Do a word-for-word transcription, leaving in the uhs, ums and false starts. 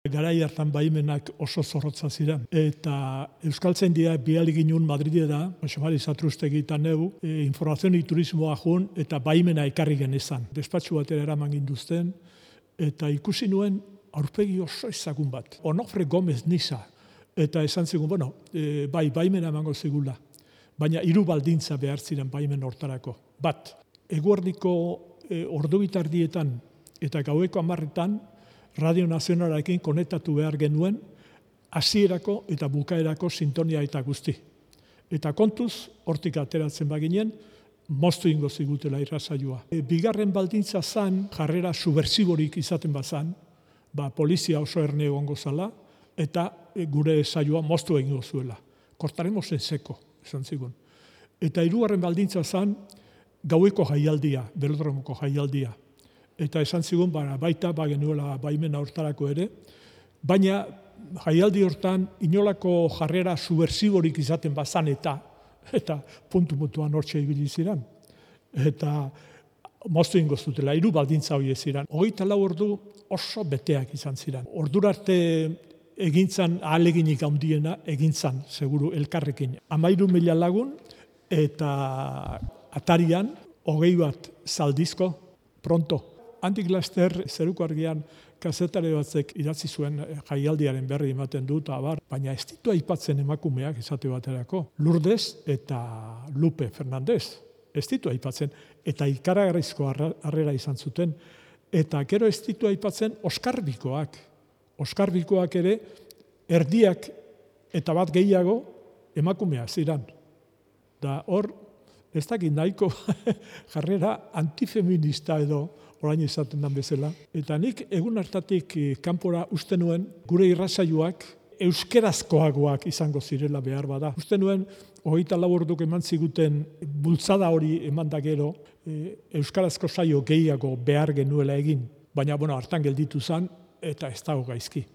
Garai hartan baimenak oso zorrotza ziren. Eta Euskaltzaindia bihali ginen Madridera, Xamari Satrustegi eta neu, e, informazioni turismoa jun eta baimena ekarri genezan. Despatxu batera eraman ginduzten, eta ikusi nuen aurpegi oso ezagun bat. Onofre Gomez Niza. Eta esan zigun, bueno, e, bai, baimena emango zigula. Baina hiru baldintza behar ziren baimen hortarako. Bat, eguerdiko e, ordu bitardietan eta gaueko hamarretan Radio Nazionalarekin konektatu behar genuen hasierako eta bukaerako sintonia eta guzti. Eta kontuz, hortik ateratzen baginen, moztu ingo zigutela irrasaioa. E, bigarren baldintza zan, jarrera subversiborik izaten bazan, ba, polizia oso erne egongo zala, eta e, gure saioa moztu egingo zuela. Kortaremos en seko, esan zigun. Eta hirugarren baldintza zan, gaueko jaialdia, belodromoko jaialdia. Eta esan zigun, ba, baita, ba, genuela baimena hortarako ere, baina jaialdi hortan inolako jarrera subversiborik izaten bazan eta eta puntu-puntuan hortxe ibili ziren. Eta moztu ingo zutela, hiru baldintza horiek ziren. Hogeita lau ordu oso beteak izan ziren. Ordurarte egintzan ahaleginik handiena egintzan, seguru, elkarrekin. Hamairu mila lagun eta atarian hogei bat zaldizko pronto. Handik laster zeruko argian kazetare batzek idatzi zuen jaialdiaren berri ematen dut, abar, baina ez ditu aipatzen emakumeak esate baterako. Lourdes eta Lupe Fernandez, ez ditu aipatzen, eta ikaragarrizko harrera izan zuten, eta gero ez ditu aipatzen Oskarbikoak. Oskarbikoak ere erdiak eta bat gehiago emakumeak ziren. Da hor, ez dakit nahiko jarrera antifeminista edo orain izaten den bezala. Eta nik egun hartatik kanpora uste nuen gure irrasaioak euskerazkoagoak izango zirela behar bada. Uste nuen hogeita lau orduk eman ziguten bultzada hori eman da gero euskarazko saio gehiago behar genuela egin. Baina, bueno, hartan gelditu zen eta ez dago gaizki.